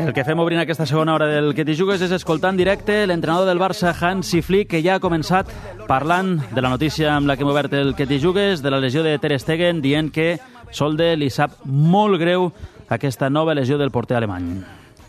El que fem obrint aquesta segona hora del Que t'hi jugues és escoltar en directe l'entrenador del Barça, Hansi Flick, que ja ha començat parlant de la notícia amb la que hem obert el Que t'hi jugues, de la lesió de Ter Stegen, dient que Solde li sap molt greu aquesta nova lesió del porter alemany.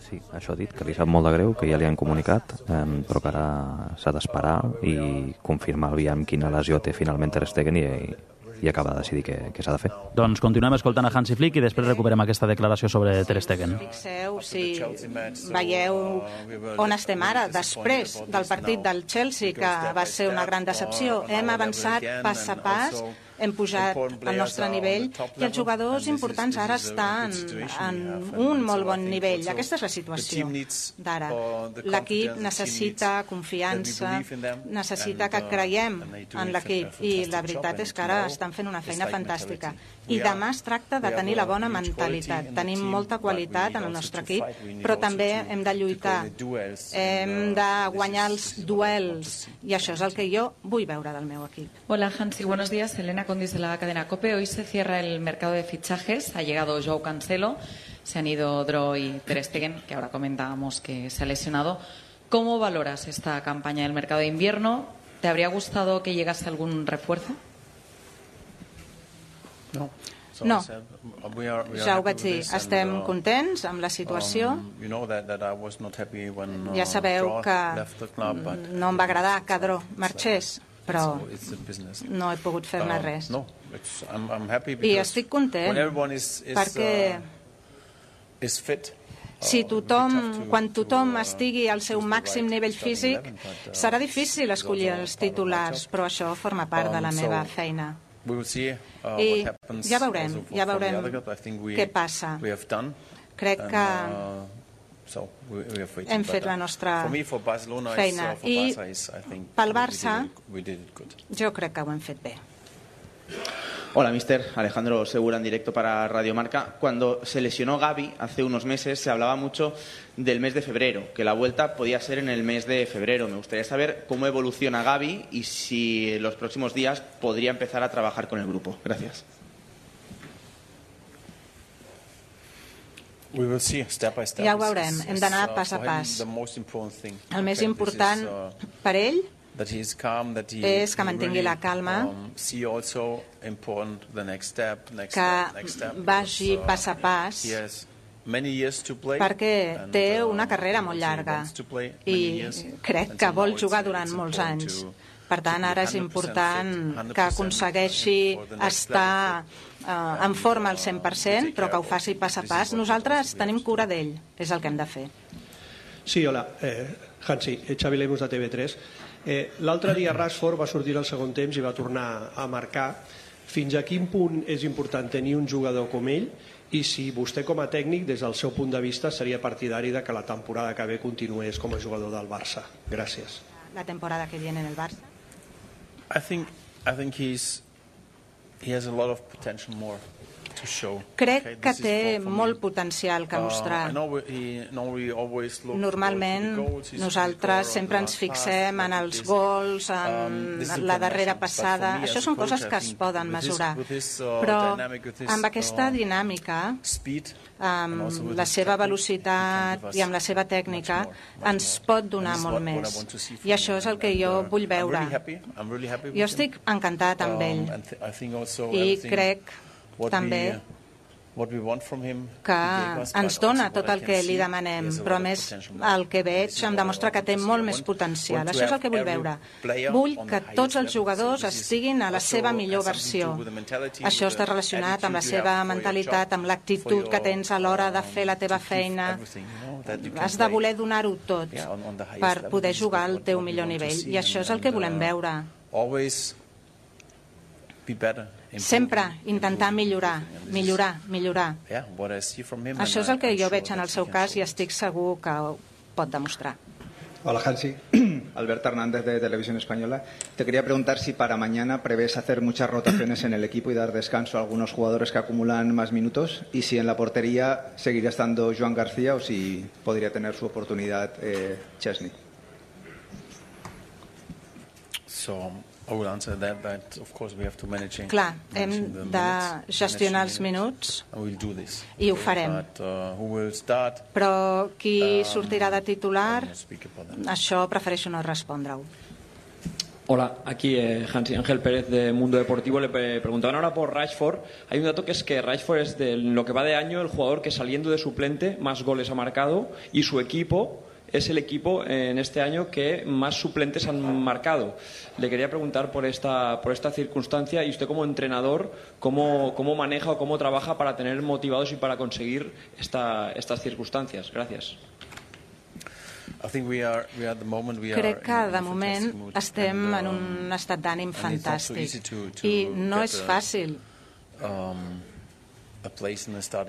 Sí, això ha dit, que li sap molt de greu, que ja li han comunicat, però que ara s'ha d'esperar i confirmar aviam quina lesió té finalment Ter Stegen i acabar de decidir què s'ha de fer. Doncs continuem escoltant a Hansi Flick i després recuperem aquesta declaració sobre Ter Stegen. Fixeu si veieu on estem ara, després del partit del Chelsea, que va ser una gran decepció. Hem avançat pas a pas, hem pujat al nostre nivell i els jugadors importants ara estan en un molt bon nivell. Aquesta és la situació d'ara. L'equip necessita confiança, necessita que creiem en l'equip i la veritat és que ara estan fent una feina fantàstica. I demà es tracta de tenir la bona mentalitat. Tenim molta qualitat en el nostre equip, però també hem de lluitar, hem de guanyar els duels i això és el que jo vull veure del meu equip. Hola Hansi, buenos días. Elena Condis de la cadena COPE. Hoy se cierra el mercado de fichajes. Ha llegado Joao Cancelo, se han ido Dro y Ter Stegen, que ahora comentábamos que se ha lesionado. ¿Cómo valoras esta campaña del mercado de invierno? ¿Te habría gustado que llegase algún refuerzo? No, ja ho vaig dir, estem contents amb la situació. Ja sabeu que no em va agradar que Dro marxés, però no he pogut fer-ne res. I estic content perquè quan tothom estigui al seu màxim nivell físic serà difícil escollir els titulars, però això forma part de la meva feina. I ja veurem què passa. Crec que hem fet la nostra feina i pel Barça jo crec que ho hem fet bé. Hola, mister. Alejandro Segura en directo para Radio Marca. Cuando se lesionó Gavi hace unos meses se hablaba mucho del mes de febrero, que la vuelta podía ser en el mes de febrero. Me gustaría saber cómo evoluciona Gavi y si en los próximos días podría empezar a trabajar con el grupo. Gracias. Ja ho veurem, hem d'anar pas a pas. El més important per ell és que mantingui la calma, que vagi pas a pas, perquè té una carrera molt llarga i crec que vol jugar durant molts anys. Per tant, ara és important que aconsegueixi estar en forma al 100%, però que ho faci pas a pas. Nosaltres tenim cura d'ell, és el que hem de fer. Sí, hola, Hansi, Xavi Lemus de TV3. L'altre dia Rashford va sortir al segon temps i va tornar a marcar. Fins a quin punt és important tenir un jugador com ell i si vostè com a tècnic, des del seu punt de vista, seria partidari de que la temporada que ve continués com a jugador del Barça? Gràcies. La temporada que viene en el Barça? I think he has a lot of potential more. Crec que té molt potencial que mostrar. Normalment nosaltres sempre ens fixem en els gols, en la darrera passada. Això són coses que es poden mesurar. Però amb aquesta dinàmica, amb la seva velocitat i amb la seva tècnica, ens pot donar molt més. I això és el que jo vull veure. Jo estic encantat amb ell i crec també que ens dona tot el que li demanem, però a més el que veig em demostra que té molt més potencial. Això és el que vull veure. Vull que tots els jugadors estiguin a la seva millor versió. Això està relacionat amb la seva mentalitat, amb l'actitud que tens a l'hora de fer la teva feina. Has de voler donar-ho tot per poder jugar al teu millor nivell. I això és el que volem veure. Sempre intentar millorar. Això és el que jo veig en el seu cas i estic segur que ho pot demostrar. Hola Hansi, Alberto Hernández de Televisión Española. Te quería preguntar si para mañana prevés hacer muchas rotaciones en el equipo y dar descanso a algunos jugadores que acumulan más minutos y si en la portería seguiría estando Joan García o si podría tener su oportunidad Chesney. Clar, hem de gestionar els minuts i ho farem. Però qui sortirà de titular, això prefereixo no respondre-ho. Hola, aquí Hansi Ángel Pérez de Mundo Deportivo. Le preguntaban ahora por Rashford. Hay un dato que es que Rashford es, de lo que va de año, el jugador que saliendo de suplente más goles ha marcado, y su equipo es el equipo en este año que más suplentes han marcado. Le quería preguntar por esta circunstancia, y usted como entrenador, ¿cómo maneja o cómo trabaja para tener motivados y para conseguir estas circunstancias? Gracias. Crec que de moment estem en un estat d'ànim fantàstic i no és fàcil.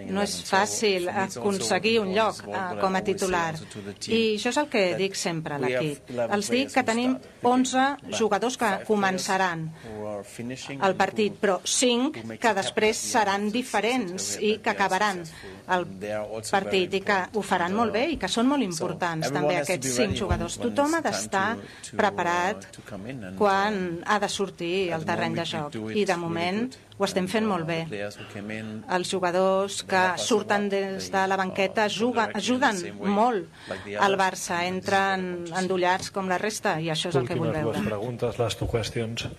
No és fàcil aconseguir un lloc com a titular. I això és el que dic sempre a l'equip. Els dic que tenim 11 jugadors que començaran el partit, però 5 que després seran diferents i que acabaran el partit i que ho faran molt bé i que són molt importants també aquests 5 jugadors. Tothom ha d'estar preparat quan ha de sortir al terreny de joc i de moment ho estem fent molt bé. Els jugadors que surten des de la banqueta ajuden molt al Barça, entren endollats com la resta i això és el que vull veure. Últimes dues preguntes, les dues qüestions.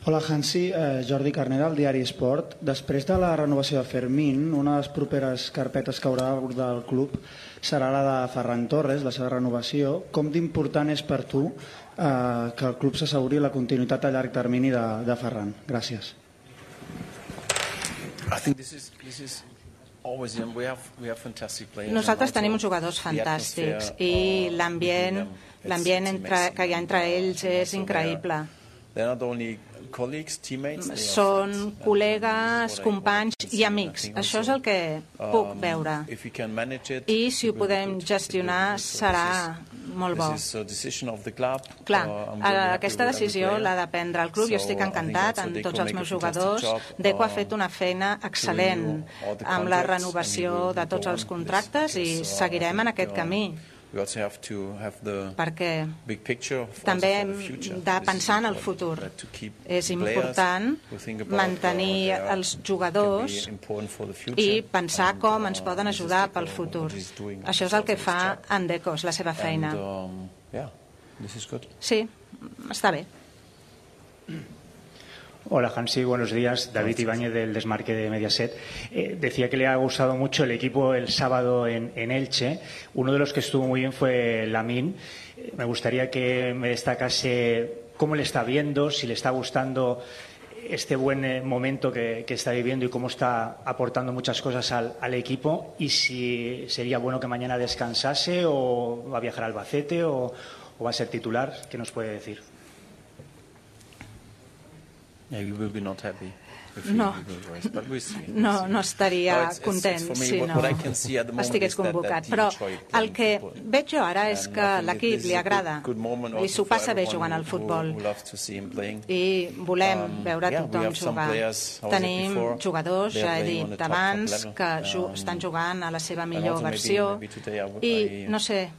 Hola, Hansi. Jordi Carnera, al diari Esport. Després de la renovació de Fermín, una de les properes carpetes que haurà d'abordar el club serà la de Ferran Torres, la seva renovació. Com d'important és per tu que el club s'asseguri la continuïtat a llarg termini de Ferran? Gràcies. Nosaltres tenim uns jugadors fantàstics i l'ambient que hi ha entre ells és increïble. Són col·legues, companys i amics. Això és el que puc veure. I si ho podem gestionar serà molt bo. Clar, aquesta decisió l'ha de prendre el club. Jo estic encantat amb tots els meus jugadors. Deco ha fet una feina excel·lent amb la renovació de tots els contractes i seguirem en aquest camí. Perquè també hem de pensar en el futur. És important mantenir els jugadors i pensar com ens poden ajudar pel futur. Això és el que fa en Deco, és la seva feina. Sí, està bé. Hola, Hansi, buenos días. David Ibáñez del Desmarque de Mediaset. Decía que le ha gustado mucho el equipo el sábado en Elche. Uno de los que estuvo muy bien fue Lamine. Me gustaría que me destacase cómo le está viendo, si le está gustando este buen momento que está viviendo y cómo está aportando muchas cosas al equipo, y si sería bueno que mañana descansase o va a viajar a Albacete o va a ser titular. ¿Qué nos puede decir? No estaria content si no estigués convocat, però el que veig jo ara és que l'equip li agrada i s'ho passa bé jugant al futbol i volem veure tothom jugar. Tenim jugadors, ja he dit abans, que estan jugant a la seva millor versió i no sé,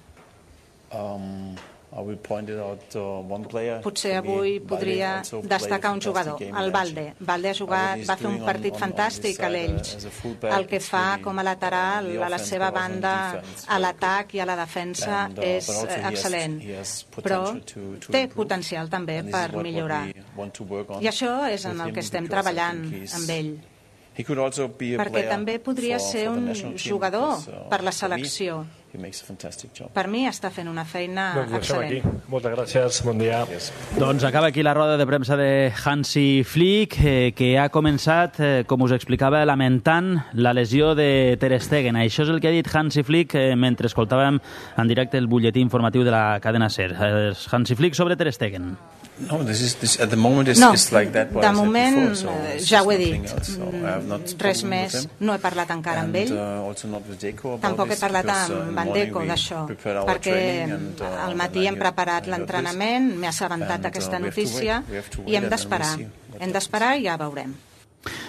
potser avui podria destacar un jugador, el Balde. Balde va fer un partit fantàstic a l'Elx. El que fa com a lateral a la seva banda, a l'atac i a la defensa és excel·lent, però té potencial també per millorar. I això és en el que estem treballant amb ell. Perquè també podria ser un jugador per la selecció. Per mi està fent una feina excel·lent. Moltes gràcies, bon dia. Doncs acaba aquí la roda de premsa de Hansi Flick, que ha començat, com us explicava, lamentant la lesió de Ter Stegen. Això és el que ha dit Hansi Flick mentre escoltàvem en directe el butlletí informatiu de la cadena SER. Hansi Flick sobre Ter Stegen. No, de moment ja ho he dit, res més, no he parlat encara amb ell, tampoc he parlat amb en Deco d'això, perquè al matí hem preparat l'entrenament, m'he assabentat d'aquesta notícia i hem d'esperar i ja veurem.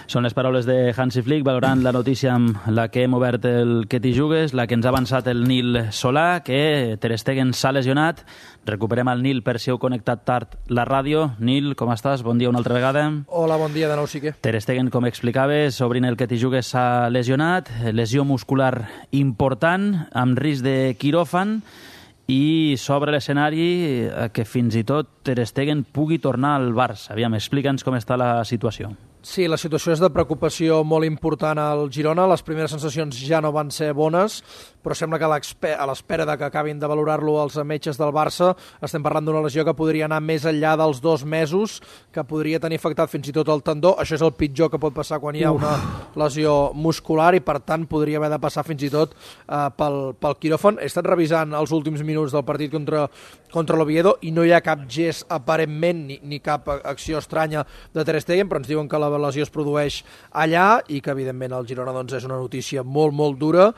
Són les paraules de Hansi Flick valorant la notícia amb la que hem obert el Que t'hi jugues, la que ens ha avançat el Nil Solà, que Ter Stegen s'ha lesionat. Recuperem el Nil per si heu connectat tard la ràdio. Nil, com estàs? Bon dia una altra vegada. Hola, bon dia de nou, sí que. Ter Stegen, com explicaves, obrint el Que t'hi jugues, s'ha lesionat. Lesió muscular important, amb risc de quiròfan, i s'obre l'escenari que fins i tot Ter Stegen pugui tornar al Barça. Aviam, explica'ns com està la situació. Sí, la situació és de preocupació molt important al Girona. Les primeres sensacions ja no van ser bones, però sembla que a l'espera de que acabin de valorar-lo els metges del Barça estem parlant d'una lesió que podria anar més enllà dels 2 mesos, que podria tenir afectat fins i tot el tendó. Això és el pitjor que pot passar quan hi ha una lesió muscular i, per tant, podria haver de passar fins i tot pel quiròfan. He estat revisant els últims minuts del partit contra l'Oviedo i no hi ha cap gest aparentment ni cap acció estranya de Ter Stegen, però ens diuen que la lesió es produeix allà i que, evidentment, el Girona és una notícia molt, molt dura,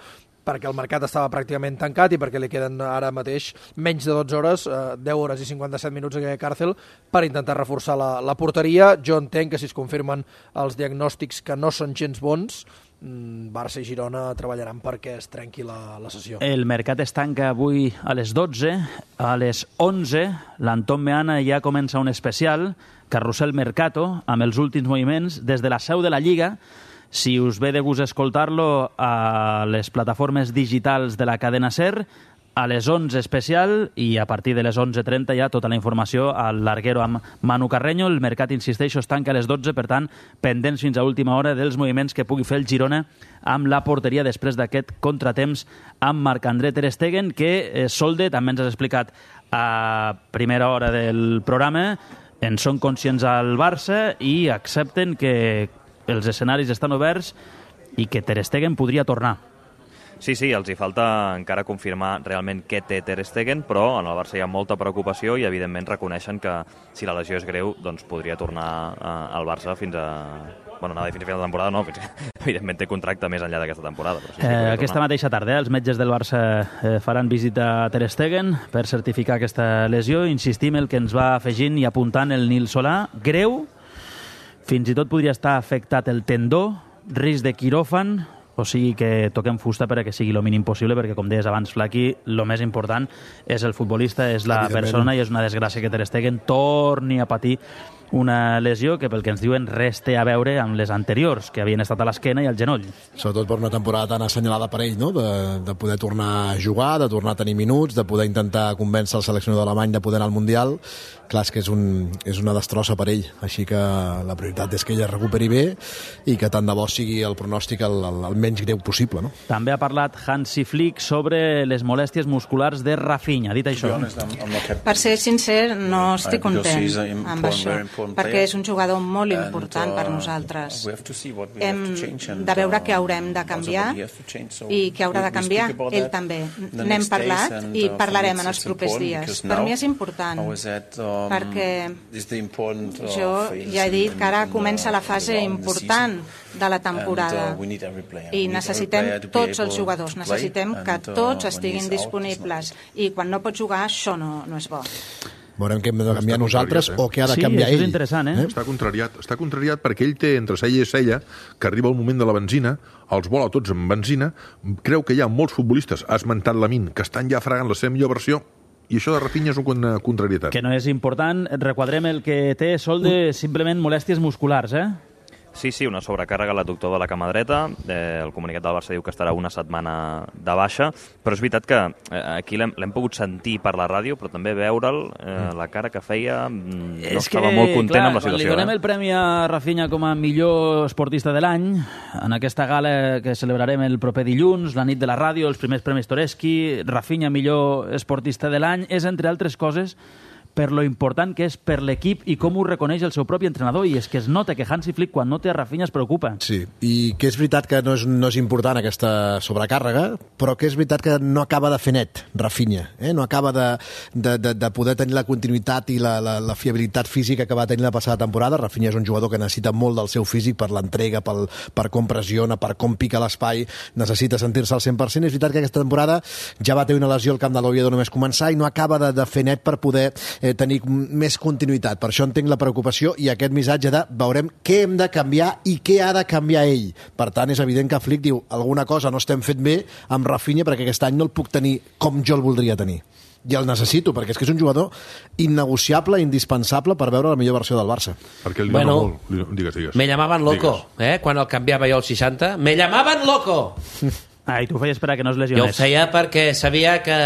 perquè el mercat estava pràcticament tancat i perquè li queden ara mateix menys de 12 hores, 10 hores i 57 minuts a càrcel per intentar reforçar la porteria. Jo entenc que si es confirmen els diagnòstics que no són gens bons, Barça i Girona treballaran perquè es trenqui la sessió. El mercat es tanca avui a les 12. A les 11 l'Anton Meana ja comença un especial, Carrusel Mercato, amb els últims moviments des de la seu de la Lliga. Si us ve de gust escoltar-lo a les plataformes digitals de la cadena SER, a les 11 especial, i a partir de les 11:30 ja tota la informació al Larguero amb Manu Carreño. El mercat, insisteixo, es tanca a les 12, per tant, pendents fins a última hora dels moviments que pugui fer el Girona amb la porteria després d'aquest contratemps amb Marc-André Ter Stegen, que Solde, també ens has explicat a primera hora del programa, en són conscients al Barça i accepten que els escenaris estan oberts i que Ter Stegen podria tornar. Sí, els hi falta encara confirmar realment què té Ter Stegen, però en el Barça hi ha molta preocupació i evidentment reconeixen que si la lesió és greu doncs podria tornar al Barça fins a... Bueno, anava a dir fins a final de temporada, no, evidentment té contracte més enllà d'aquesta temporada. Però sí, aquesta mateixa tarda els metges del Barça faran visita a Ter Stegen per certificar aquesta lesió. Insistim el que ens va afegint i apuntant el Nil Solà. Greu, fins i tot podria estar afectat el tendó, risc de quiròfan, o sigui que toquem fusta perquè sigui el mínim possible, perquè, com deies abans, Flaqui, el més important és el futbolista, és la persona, i és una desgràcia que Ter Stegen torni a patir una lesió que, pel que ens diuen, res té a veure amb les anteriors, que havien estat a l'esquena i al genoll. Sobretot per una temporada tan assenyalada per ell, no? De poder tornar a jugar, de tornar a tenir minuts, de poder intentar convèncer el seleccionador alemany de poder anar al Mundial. Clar, és que és una destrossa per ell, així que la prioritat és que ella recuperi bé i que tant de bo sigui el pronòstic el menys greu possible, no? També ha parlat Hansi Flick sobre les molèsties musculars de Rafinha. Dit això, per ser sincer, no estic content amb això, perquè és un jugador molt important per nosaltres. Hem de veure què haurem de canviar i què haurà de canviar ell també. N'hem parlat i parlarem en els propers dies. Per mi és important, perquè jo ja he dit que ara comença la fase important de la temporada i necessitem tots els jugadors, necessitem que tots estiguin disponibles, i quan no pots jugar això no és bo. Veurem què hem de canviar nosaltres o què ha de canviar ell. Sí, és interessant, Està contrariat perquè ell té entre cella i cella que arriba el moment de la benzina, els vola tots amb benzina, creu que hi ha molts futbolistes, ha esmentat Lamine, que estan ja fregant la seva millor versió, i això de Rafinha és una contrarietat. Que no és important. Requadrem el que té Solde, simplement molèsties musculars, Sí, una sobrecàrrega a l'adductor de la cama dreta. El comunicat del Barça diu que estarà una setmana de baixa, però és veritat que aquí l'hem pogut sentir per la ràdio, però també veure'l, la cara que feia, no estava molt content amb la situació. Li donem el premi a Rafinha com a millor esportista de l'any, en aquesta gala que celebrarem el proper dilluns, la nit de la ràdio, els primers premis Toreski. Rafinha, millor esportista de l'any, és, entre altres coses, per lo important que és per l'equip i com ho reconeix el seu propi entrenador, i és que es nota que Hansi Flick, quan no té a Rafinha, es preocupa. Sí, i que és veritat que no és important aquesta sobrecàrrega, però que és veritat que no acaba de fer net Rafinha, no acaba de poder tenir la continuïtat i la fiabilitat física que va tenir la passada temporada. Rafinha és un jugador que necessita molt del seu físic per l'entrega, per com pressiona, per com pica l'espai, necessita sentir-se al 100%. És veritat que aquesta temporada ja va tenir una lesió al camp de l'Oviedo només començar i no acaba de fer net per poder tenir més continuïtat. Per això entenc la preocupació i aquest missatge de veurem què hem de canviar i què ha de canviar ell. Per tant, és evident que Flick diu alguna cosa no estem fent bé amb Rafinha perquè aquest any no el puc tenir com jo el voldria tenir. I el necessito, perquè és que és un jugador innegociable, indispensable per veure la millor versió del Barça. Perquè li Bueno, molt... Digues. Me llamaven loco, quan el canviava jo al 60. Me llamaven loco! I tu ho feies per a que no es lesionés. Jo ho feia perquè sabia que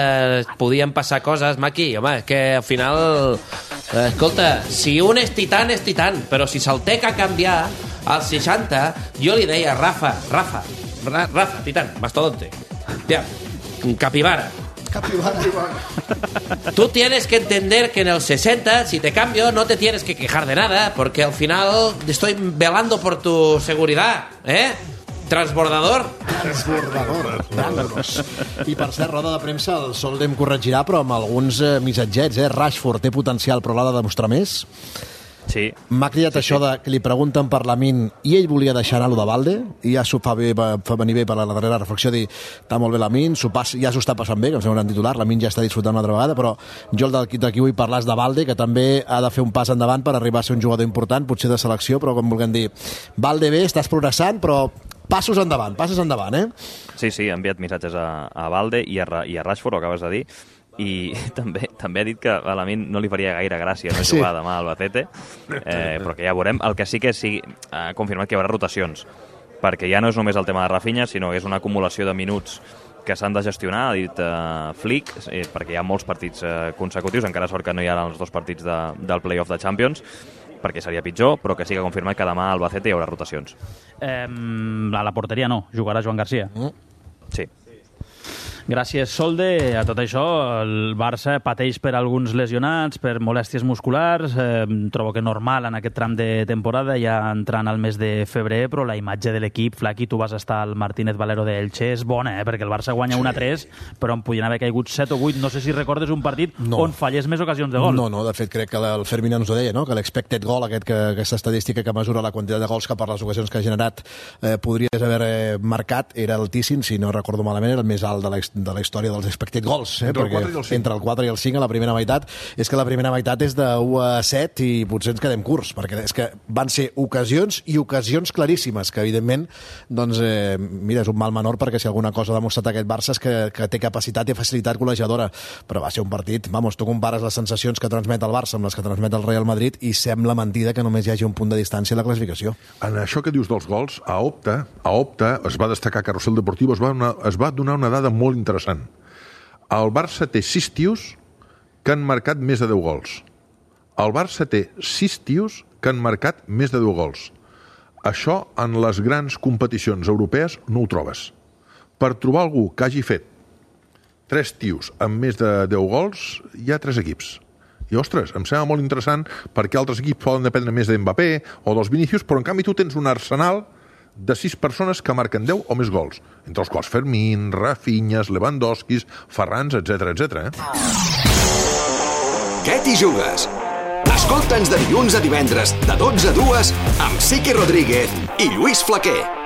podien passar coses, Maki. Home, que al final... escolta, si un és titan, però si se'l té que canviar al 60, jo li deia, Rafa, titan, mastodonte. Tia, capibara. Tú tienes que entender que en el 60, si te cambio, no te tienes que quejar de nada, porque al final estoy velando por tu seguridad, Transbordador. I per cert, roda de premsa, el Solde em corregirà, però amb alguns missatgets, Rashford té potencial, però l'ha de demostrar més? Sí. M'ha cridat això de que li pregunten per Lamine i ell volia deixar anar-lo de Balde, i ja s'ho fa venir bé per la darrera reflexió, dir, està molt bé Lamine, ja s'ho està passant bé, que em sembla un gran titular, Lamine ja està disfrutant una altra vegada, però jo d'aquí vull parlar de Balde, que també ha de fer un pas endavant per arribar a ser un jugador important, potser de selecció, però com vulguem dir, Balde bé, estàs progressant, però passos endavant, Sí, ha enviat missatges a Balde i a Rashford, ho acabes de dir, i també ha dit que a Lamine no li faria gaire gràcia no jugar demà al Albacete, però que ja veurem. El que sí que ha confirmat que hi haurà rotacions, perquè ja no és només el tema de Rafinha, sinó que és una acumulació de minuts que s'han de gestionar, ha dit Flick, perquè hi ha molts partits consecutius, encara sort que no hi ha els 2 partits del play-off de Champions, perquè seria pitjor, però que sí que ha confirmat que demà al Albacete hi haurà rotacions. A la porteria no, jugarà Joan Garcia. Sí. Gràcies, Solde. A tot això, el Barça pateix per alguns lesionats, per molèsties musculars. Trobo que normal en aquest tram de temporada, ja entrant al mes de febrer, però la imatge de l'equip, Flaqui, tu vas estar al Martínez Valero d'Elche, és bona, perquè el Barça guanya 1-3, però en podien haver caigut 7 o 8. No sé si recordes un partit on fallés més ocasions de gol. No, de fet crec que el Fermín ens ho deia, no? Que l'expected goal, aquesta estadística que mesura la quantitat de gols que per les ocasions que ha generat podries haver marcat, era altíssim, si no recordo malament, era el més alt de la història dels expected goals, entre el 4 i el 5 a la primera meitat. És que la primera meitat és de 1-7 i potser ens quedem curts, perquè és que van ser ocasions i ocasions claríssimes, que evidentment, doncs, mira, és un mal menor, perquè si alguna cosa ha demostrat aquest Barça és que té capacitat i facilitat col·legiadora, però va ser un partit, tu compares les sensacions que transmet el Barça amb les que transmet el Real Madrid i sembla mentida que només hi hagi un punt de distància a la classificació. En això que dius dels gols, a Opta es va destacar Carrusel Deportivo, es va donar una dada molt interessant. El Barça té 6 tios que han marcat més de 10 gols. El Barça té 6 tios que han marcat més de 10 gols. Això en les grans competicions europees no ho trobes. Per trobar algú que hagi fet 3 tios amb més de 10 gols, hi ha 3 equips. I, ostres, em sembla molt interessant perquè altres equips poden dependre més d'Mbappé o dels Vinícius, però en canvi tu tens un arsenal de 6 persones que marquen 10 o més gols, entre els quals Fermín, Rafinha, Lewandowski, Ferrans, etc. Què t'hi jugues? Escolta'ns de dilluns a divendres, de 12 a 2, amb Sique Rodríguez i Lluís Flaquer.